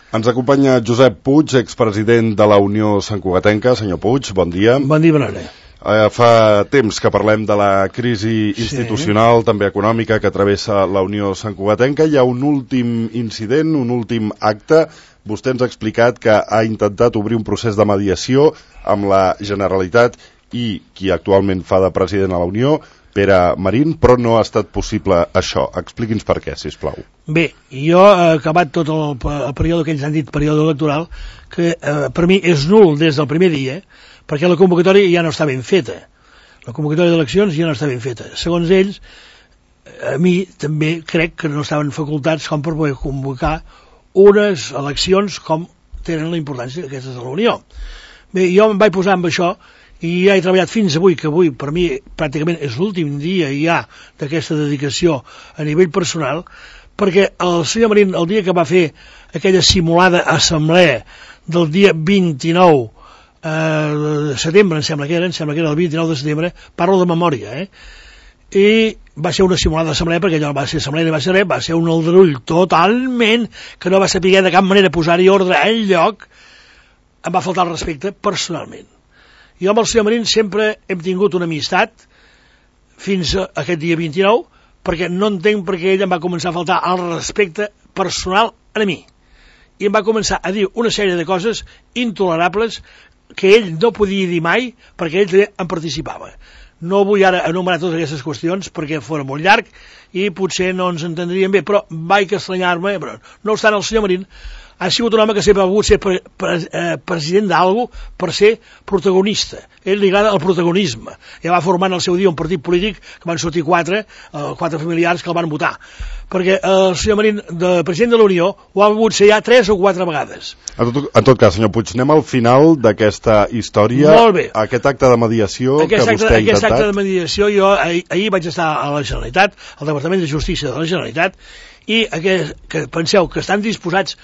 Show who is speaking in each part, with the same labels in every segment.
Speaker 1: Ens acompanya Josep Puig, expresident de la Unió Santcugatenca. Senyor Puig, bon dia.
Speaker 2: Bon dia, bona hora.
Speaker 1: Fa temps que parlem de la crisi institucional, també econòmica, que travessa la Unió Santcugatenca. Hi ha un últim incident, un últim acte. Vostè ens ha explicat que ha intentat obrir un procés de mediació amb la Generalitat i qui actualment fa de president a la Unió, Pere Marín, però no ha estat possible això. Expliqui'ns per què, sisplau.
Speaker 2: Bé, jo he acabat tot el període que ells han dit període electoral, que per mi és nul des del primer dia, perquè la convocatòria ja no està ben feta. La convocatòria d'eleccions ja no està ben feta. Segons ells, a mi també crec que no estaven facultats com per poder convocar unes eleccions com tenen la importància aquestes de la Unió. Bé, jo em vaig posar amb això i ja he treballat fins avui, que avui per mi pràcticament és l'últim dia ja d'aquesta dedicació a nivell personal, perquè el senyor Marín, el dia que va fer aquella simulada assemblea del dia 29 de setembre, em sembla que era el 29 de setembre, parlo de memòria, i va ser una simulada assemblea, perquè allò va ser assemblea i va ser res, va ser un aldarull totalment, que no va saber de cap manera posar-hi ordre en lloc. Em va faltar el respecte personalment. Jo amb el senyor Marín sempre hem tingut una amistat fins a aquest dia 29, perquè no entenc per què ell em va començar a faltar el respecte personal a mi. I em va començar a dir una sèrie de coses intolerables que ell no podia dir mai, perquè ell també en participava. No vull ara enumerar totes aquestes qüestions perquè fora molt llarg i potser no ens entendríem bé, però vaig estranyar-me. No obstant, el senyor Marín ha sigut un home que sempre ha volgut ser president d'algú per ser protagonista. Ell li agrada el protagonisme. Ja va formar en el seu dia un partit polític que van sortir quatre familiars que el van votar. Perquè el senyor Marín, de president de la Unió, ho ha volgut ser ja 3 o 4 vegades.
Speaker 1: En tot cas, senyor Puig, anem al final d'aquesta història.
Speaker 2: Molt bé.
Speaker 1: Aquest acte de mediació que vostè ha intentat.
Speaker 2: Aquest acte de mediació, jo ahir vaig estar a la Generalitat, al Departament de Justícia de la Generalitat, i que penseu que estan disposats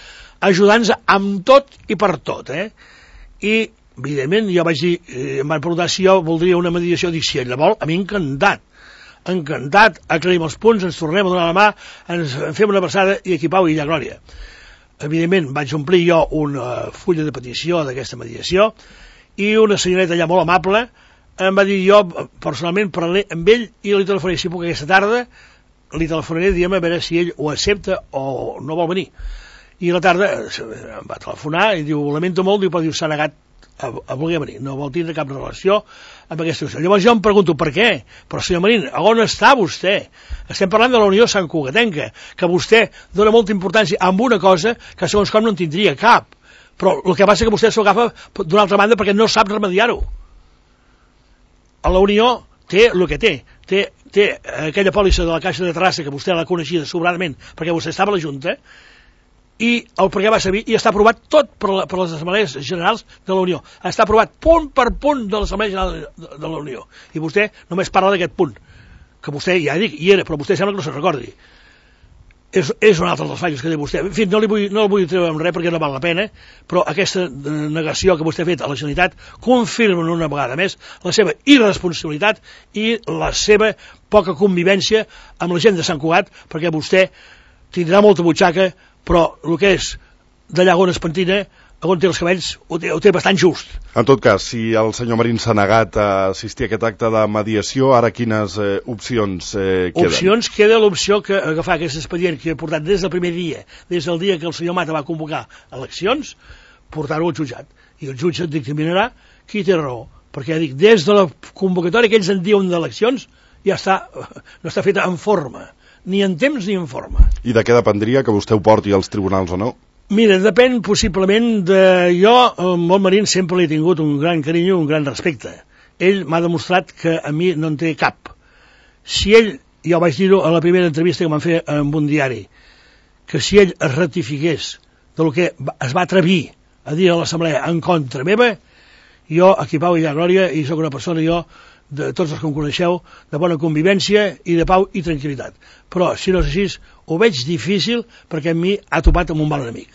Speaker 2: ajudant-nos amb tot i per tot, I, evidentment, jo vaig dir, em van preguntar si jo voldria una mediació, dic, si ell la vol, a mi encantat, aclarim els punts, ens tornem a donar la mà, ens fem una abraçada i aquí pau i allà glòria. Evidentment, vaig omplir jo una fulla de petició d'aquesta mediació i una senyoreta allà molt amable em va dir, jo personalment parlaré amb ell i li telefonaré, si puc aquesta tarda, li telefonaré, diguem, a veure si ell ho accepta o no vol venir. I a la tarda em va telefonar i diu, lamento molt, però s'ha negat a voler venir, no vol tindre cap relació amb aquesta qüestió. Llavors jo em pregunto per què, però senyor Marín, on està vostè? Estem parlant de la Unió Santcugatenca, que vostè dona molta importància a una cosa que segons com no en tindria cap, però el que passa que vostè s'ho agafa d'una altra banda perquè no sap remediar-ho. A la Unió té el que té aquella pòlissa de la Caixa de Terrassa que vostè l'ha coneixida sobradament perquè vostè estava a la Junta, i el perquè va servir, i està aprovat tot per les assemblees generals de la Unió. Està aprovat punt per punt de l'Assemblea General de la Unió. I vostè només parla d'aquest punt, que vostè, ja dic, hi era, però vostè sembla que no se'n recordi. És un altre dels fallos que té vostè. En fi, no el vull treure amb res perquè no val la pena, però aquesta negació que vostè ha fet a la Generalitat confirma una vegada més la seva irresponsabilitat i la seva poca convivència amb la gent de Sant Cugat, perquè vostè tindrà molta butxaca, però el que és d'allà on es pentina, on té els cabells, ho té bastant just.
Speaker 1: En tot cas, si el senyor Marín s'ha negat a assistir a aquest acte de mediació, ara quines opcions queden?
Speaker 2: Opcions queda l'opció que agafar aquest expedient que he portat des del primer dia, des del dia que el senyor Mata va convocar eleccions, portar-ho al jutjat. I el jutge dictaminarà qui té raó. Perquè ja dic, des de la convocatòria que ells en diuen d'eleccions, ja no està feta en forma. Ni en temps ni en forma.
Speaker 1: I de què dependria que vostè ho porti als tribunals o no?
Speaker 2: Mira, depèn possiblement de... Jo, amb el Marín, sempre li he tingut un gran carinyo, un gran respecte. Ell m'ha demostrat que a mi no en té cap. Si ell, ja ho vaig dir-ho a la primera entrevista que m'han fet en un diari, que si ell es ratifiqués del que es va atrevir a dir a l'assemblea en contra meva, jo, aquí pau i glòria, i sóc una persona, jo, de tots els que em coneixeu, de bona convivència i de pau i tranquil·litat. Però, si no és així, ho veig difícil perquè a mi ha topat amb un mal enemic.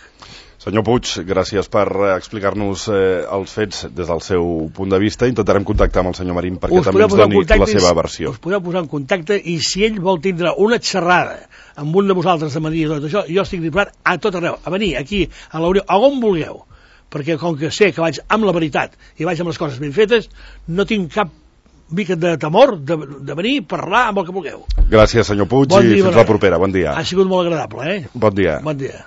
Speaker 1: Senyor Puig, gràcies per explicar-nos els fets des del seu punt de vista. Intentarem contactar amb el senyor Marín perquè també ens doni la seva versió.
Speaker 2: Us podeu posar en contacte i si ell vol tindre una xerrada amb un de vosaltres de Maria i tot això, jo estic disposat a tot arreu, a venir aquí, a la Unió, a on vulgueu, perquè com que sé que vaig amb la veritat i vaig amb les coses ben fetes, no tinc cap mica de temor de venir a parlar amb el que vulgueu.
Speaker 1: Gràcies, senyor Puig, i fins la propera. Bon dia.
Speaker 2: Ha sigut molt agradable,
Speaker 1: Bon dia.
Speaker 2: Bon dia.